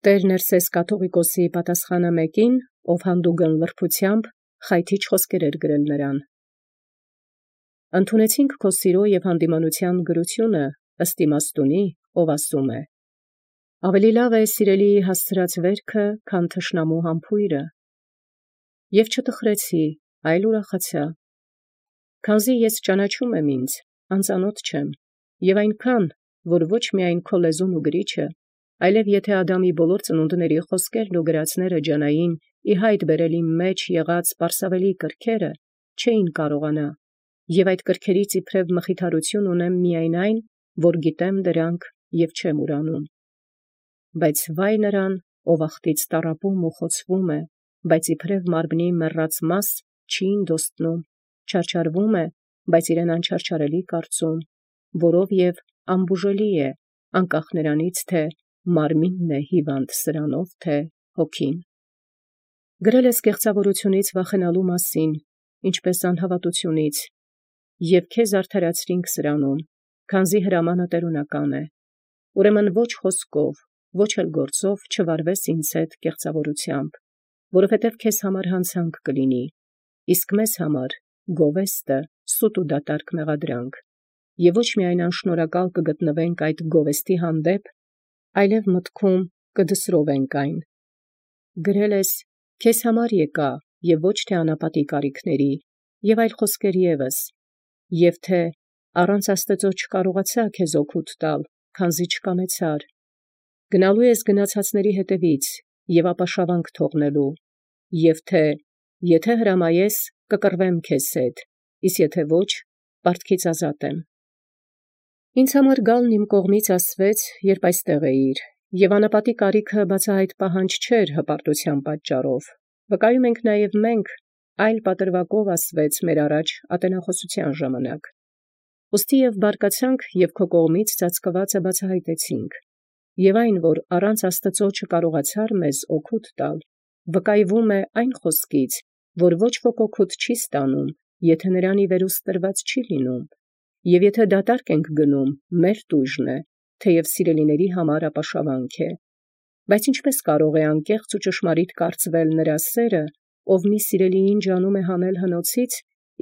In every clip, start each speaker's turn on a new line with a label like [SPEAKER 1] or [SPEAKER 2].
[SPEAKER 1] Տեր Ներսես կաթողիկոսի պատասխանը մեկին, ով հանդուգն լրբութեամբ խայթիչ խոսքեր գրել նրան։ Ընդունեցինք քո սիրո և հանդիմանության գրությունը ըստ իմաստունի, ով ասում է. ավելի լավ է սիրելի հասցրած վերքը, քան թշնամու համբույրը։ Եվ չտխրեցի, այլ ուրախացա, քանզի ես ճանաչում եմ ինձ, անծանոթ չեմ, և այնքան, որ ոչ միայն քո լեզուն ու գրիչը, այլև եթե Ադամի բոլոր ծնունդների խոսքերն ու գրածները ջանային ի հայտ բերել իմ մեջ եղած պարսավելի կրքերը, չէին կարողանա, և այդ կրքերից իբրև մխիթարություն ունեմ միայն այն, որ գիտեմ դրանք և չեմ ուրանում։ Բայց վայ նրան, ով աղտից տառապում ու խոցվում է, բայց իբրև մարմնի մեռած մաս չի ինդոստնում, չարչարվում է, բայց իրեն անչարչարելի կարծում, որով և անբուժելի է, անկախ նրանից, թե մարմինն է հիվանդ սրանով, թե հոգին։ Գրել ես կեղծավորությունից վախենալու մասին, ինչպես անհավատությունից, և քեզ արդարացրինք սրանում, քանզի հրամանը տերունական է։ Ուրեմն ոչ խոսքով, ոչ էլ գործով չվարվես ինձ հետ կեղծավորությամբ, որովհետև քեզ համար հանցանք կլինի, իսկ մեզ համար գովեստը սուտ ու դատարկ մեղադրանք, և ոչ միայն անշնորհակալ կգտնվենք այդ գովեստի հանդեպ, այլև մտքում կդսրովենք այն։ Գրել ես. քեզ համար եկա, և ոչ թե անապատի կարիքների, և այլ խոսքեր ևս, և թե առանց Աստծո չկարողացա քեզ օգուտ տալ, քանզի չկամեցար։ Գնալու ես գնացածների հետևից և ապաշավանք թողնելու, և թե եթե հրամայես, կկռվեմ քեզ հետ, իսկ եթե ոչ, պարտքից ազատ եմ։ Ինձ համար գալն իմ կողմից ասվեց, երբ այստեղ էիր, և անապատի կարիքը բացահայտ պահանջ չէր հպարտության պատճառով, վկայում ենք նաև մենք, այլ պատրվակով ասվեց մեր առաջ ատենախոսության ժամանակ։ Ուստի և բարկացանք և քո կողմից ծածկվածը բացահայտեցինք, և այն, որ առանց Աստծո չկարողացար մեզ օգուտ տալ, վկայվում է այն խոսքից, որ ոչ ոք օգուտ չի ստանում, եթե նրան ի վերուստ տրված չի լինում, և եթե դատարկ ենք գնում, մեր տույժն է, թեև սիրելիների համար ապաշավանք է։ Բայց ինչպես կարող է անկեղծ ու ճշմարիտ կարծվել նրա սերը, ով մի սիրելիին ջանում է հանել հնոցից,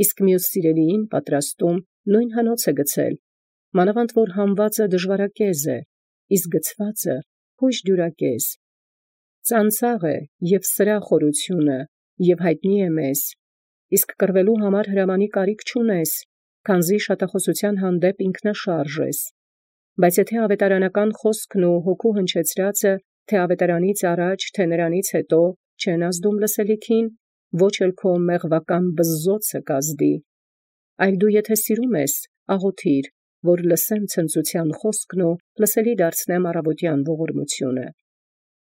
[SPEAKER 1] իսկ մյուս սիրելիին պատրաստում նույն հնոց է գցել, մանավանդ որ հանվածը դժվարակեզ է, իսկ գցվածը հույժ դյուրակեզ։ Ծանծաղ է և սրա խորությունը, և հայտնի է մեզ, իսկ կռվելու համար հրամանի կարիք չունես, քանզի շատախոսության հանդեպ ինքնաշարժ ես։ Բայց եթե ավետարանական խոսքն ու հոգու հնչեցրածը, թե ավետարանից առաջ, թե նրանից հետո, չեն ազդում լսելիքին, ոչ էլ քո մեղվական բզզոցը կազդի, այլ դու եթե սիրում ես, աղոթիր, որ լսեմ ցնծության խոսքն ու լսելի դարձնեմ առավոտյան ողորմությունը։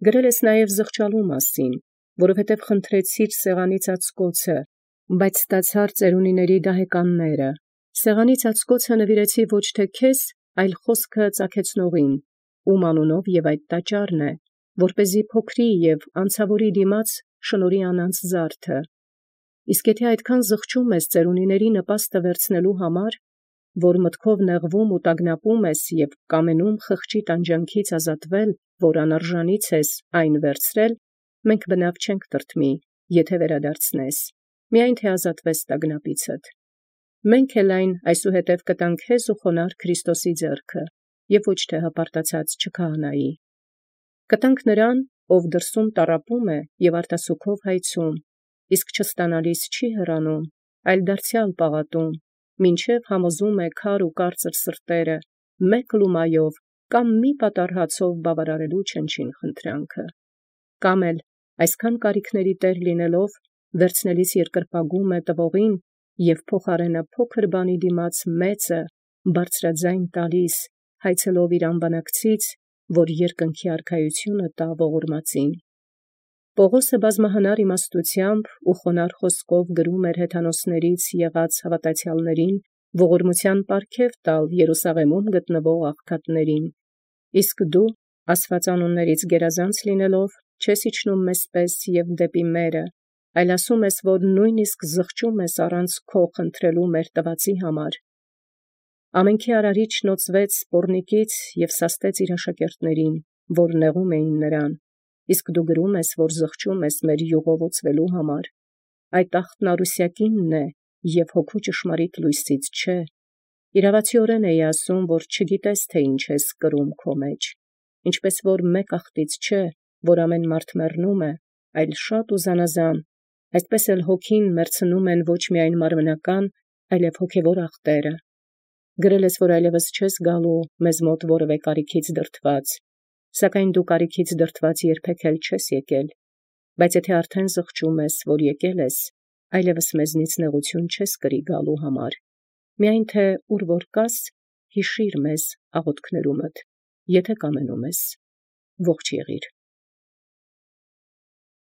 [SPEAKER 1] Գրել ես նաև զղջալու մասին, որովհետև խնդրեցիր սեղանի ծածկոցը, բայց ստացար ծերունիների դահեկանները։ Սեղանի ծածկոցը նվիրեցի ոչ թե քեզ, այլ խոսքը ծագեցնողին, ում անունով և այդ տաճարն է, որպեսզի փոքրի և անցավորի դիմաց շնորհի անանց զարդը։ Իսկ եթե այդքան զղջում ես ծերունիների նպաստը վերցնելու համար, որ մտքով նեղվում ու տագնապում ես և կամենում խղճի տանջանքից ազատվել, որ անարժանից ես այն վերցրել, մենք բնավ չենք տրտմի, եթե վերադարձնես, միայն թե ազատվես տագնապիցդ։ Մենք էլ այն այսուհետև կտանք հեզ ու խոնարհ Քրիստոսի ձեռքը, և ոչ թե հպարտացած չքահանայի։ Կտանք նրան, ով դրսում տառապում է և արտասուքով հայցում, իսկ չստանալիս չի հեռանում, այլ դարձյալ պաղատում, մինչև համոզում է քար ու կարծր սրտերը, մեկ լումայով կամ մի պատառհացով բավարարելու չնչին խնդրանքը, կամ էլ այսքան կարիքների տեր լինելով, վերցնելիս երկրպագում է տվողին և փոխարենը փոքր բանի դիմաց մեծը բարձրաձայն տալիս, հայցելով իր անբանակցից, որ երկնքի արքայությունը տա ողորմածին։ Պողոսը բազմահնար իմաստությամբ ու խոնարհ խոսքով գրում էր հեթանոսներից եղած հավատացյալներին ողորմության պարգև տալ Երուսաղեմում գտնվող աղքատներին, իսկ դու, աստվածանուններից գերազանց լինելով, չես իջնում մեզպես և դեպի մերը, այլ ասում ես, որ նույնիսկ զղջում ես առանց քո խնդրելու մեր տվածի համար։ Ամենքի արարիչն նոծվեց սպոռնիկից և սաստեց իր աշակերտներին, որ նեղում էին նրան, իսկ դու գրում ես, որ զղջում ես մեր յուղովոցվելու համար, այդ ախտն արուսյակինն է և հոգու ճշմարիտ լույսից չէ, իրավացիորեն էի ասում, որ չգիտես, թե ինչ ես կրում քո մեջ, ինչպես որ մեկ ախտից չէ, որ ամեն մարդ մեռնում է, այլ շատ ու զանազան, այսպես էլ հոգին մեռցնում են ոչ միայն մարմնական, այլև հոգևոր ախտերը, գրել ես, որ այլևս չես գալու մեզ մոտ որևէ կարիքից դրդված, սակայն դու կարիքից դրդված երբեք էլ չես եկել, բայց եթե արդեն զղջում ես, որ եկել ես, այլևս մեզնից նեղություն չես կրի գալու համար, միայն թե ուր որ կաս, հիշիր մեզ աղոթքներումդ, եթե կամենում ես, ողջ եղիր։